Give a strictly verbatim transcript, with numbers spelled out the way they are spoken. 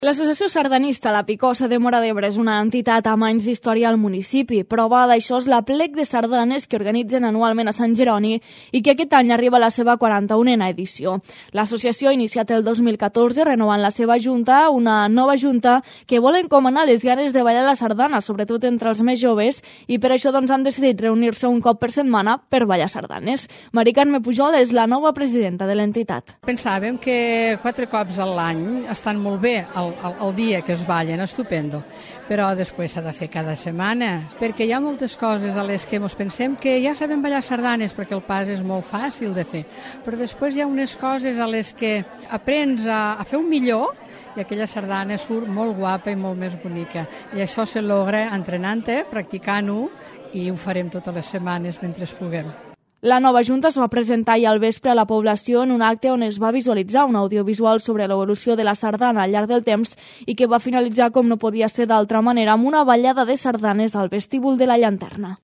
L'associació sardanista La Picosa de Móra d'Ebre és una entitat amb anys d'història al municipi. Prova d'això és l'aplec de sardanes que organitzen anualment a Sant Jeroni i que aquest any arriba a la seva quaranta-unena edició. L'associació ha iniciat el dos mil catorze renovant la seva junta, una nova junta que vol encomanar les ganes de ballar la sardana, sobretot entre els més joves, i per això doncs, han decidit reunir-se un cop per setmana per ballar sardanes. Mari Carme Pujol és la nova presidenta de l'entitat. Pensàvem que quatre cops a l'any estan molt bé el El, el dia que es ballen, estupendo, però després s'ha de fer cada setmana, perquè hi ha moltes coses a les que ens pensem que ja sabem ballar sardanes perquè el pas és molt fàcil de fer, però després hi ha unes coses a les que aprens a, a fer un millor i aquella sardana surt molt guapa i molt més bonica, i això se logra entrenant-te, practicant-ho, i ho farem totes les setmanes mentre puguem. La nova junta es va presentar ahir al vespre a la població en un acte on es va visualitzar un audiovisual sobre l'evolució de la sardana al llarg del temps i que va finalitzar, com no podia ser d'altra manera, amb una ballada de sardanes al vestíbul de la Llanterna.